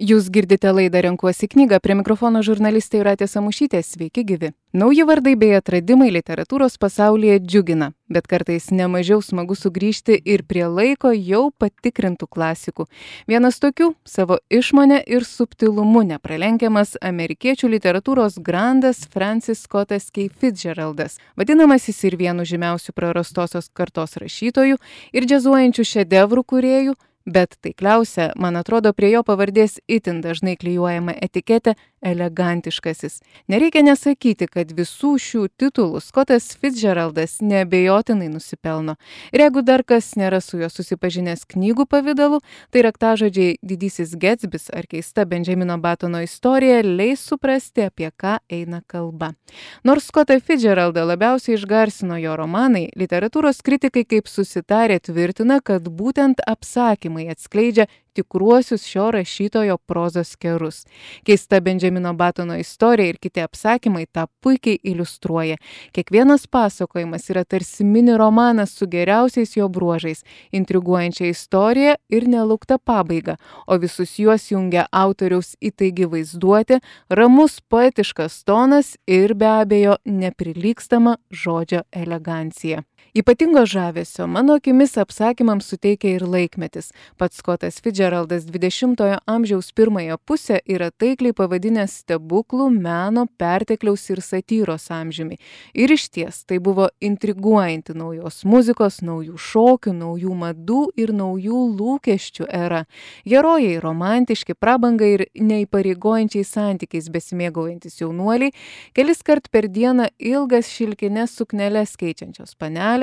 Jūs girdite laidą Renkuosi knygą, prie mikrofono žurnalistė Jūratė Samušytė, sveiki gyvi. Nauji vardai bei atradimai literatūros pasaulyje džiugina, bet kartais nemažiau smagu sugrįžti ir prie laiko jau patikrintų klasikų. Vienas tokių - savo išmonę ir subtilumu nepralenkiamas amerikiečių literatūros grandas Francis Scottas Key Fitzgeraldas, vadinamasis ir vienu žymiausių prarastosios kartos rašytojų ir džiazuojančių šedevrų kūrėjų. Bet taikliausia, man atrodo, prie jo pavardės itin dažnai klijuojama etiketė elegantiškasis. Nereikia nesakyti, kad visų šių titulų Scottas Fitzgeraldas neabejotinai nusipelno. Ir jeigu dar kas nėra su juo susipažinęs knygų pavidalu, tai raktažodžiai Didysis Getsbis ar keista Benjamino Batono istorija leis suprasti, apie ką eina kalba. Nors Scottą Fitzgeraldą labiausiai išgarsino jo romanai, literatūros kritikai kaip susitarė tvirtina, kad būtent apsakymai atskleidžia tikruosius šio rašytojo prozos kerus. Keista Benjamino Batono istorija ir kiti apsakymai tą puikiai iliustruoja. Kiekvienas pasakojimas yra tarsi mini romanas su geriausiais jo bruožais, intriguojančia istorija ir nelaukta pabaiga, o visus juos jungia autoriaus įtaigi vaizduotė, ramus poetiškas tonas ir be abejo neprilygstama žodžio elegancija. Ypatingo žavesio mano akimis apsakymams suteikia ir laikmetis. Pats Scottas Fitzgeraldas 20-ojo amžiaus pirmąją pusę yra taikliai pavadinęs stebuklų, meno, pertekliaus ir satyros amžiumi. Ir išties tai buvo intriguojanti naujos muzikos, naujų šokių, naujų madų ir naujų lūkesčių era. Herojai romantiški, prabangai ir neįpareigojančiai santykiais besimėgaujantis jaunuoliai, keliskart per dieną ilgas šilkines sukneles keičiančios panelės,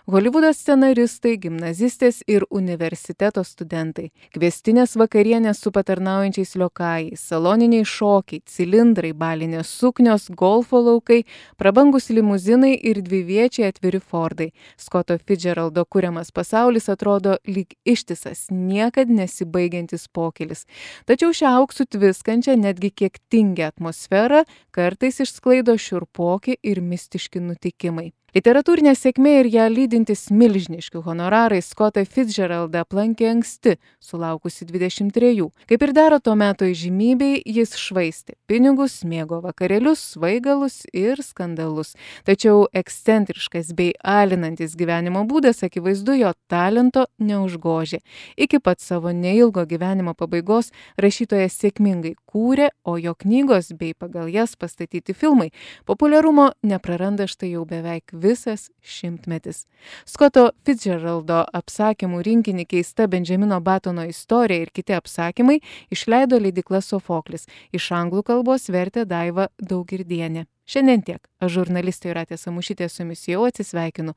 Holivudo scenaristai, gimnazistės ir universiteto studentai. Kviestinės vakarienės su patarnaujančiais liokajais, saloniniai šokiai, cilindrai, balinės suknios, golfo laukai, prabangus limuzinai ir dviviečiai atviri Fordai. Scotto Fitzgeraldo kuriamas pasaulis atrodo lyg ištisas, niekad nesibaigiantis pokylis. Tačiau šią auksų tviskančią, netgi kiek tingią atmosferą kartais išsklaido šiurpoki ir mistiški nutikimai. Literatūrinė sėkmė ir ją lydintis milžiniški honorarai Scottą Fitzgeraldą aplankė anksti, sulaukusi 23. Kaip ir dera to meto įžymybei, jis švaistė pinigus, mėgo vakarėlius, svaigalus ir skandalus. Tačiau ekscentriškas bei alinantis gyvenimo būdas akivaizdu jo talento neužgožė. Iki pat savo neilgo gyvenimo pabaigos rašytojas sėkmingai kūrė, o jo knygos bei pagal jas pastatyti filmai populiarumo nepraranda štai jau beveik visas šimtmetis. Scotto Fitzgeraldo apsakymų rinkinį Keista Benjamino Batono istorija ir kiti apsakymai išleido leidykla Sofoklis. Iš anglų kalbos vertė Daiva Daugirdienė. Šiandien tiek. Aš žurnalistė Jūratė Samušytė su jumis jau atsisveikinu.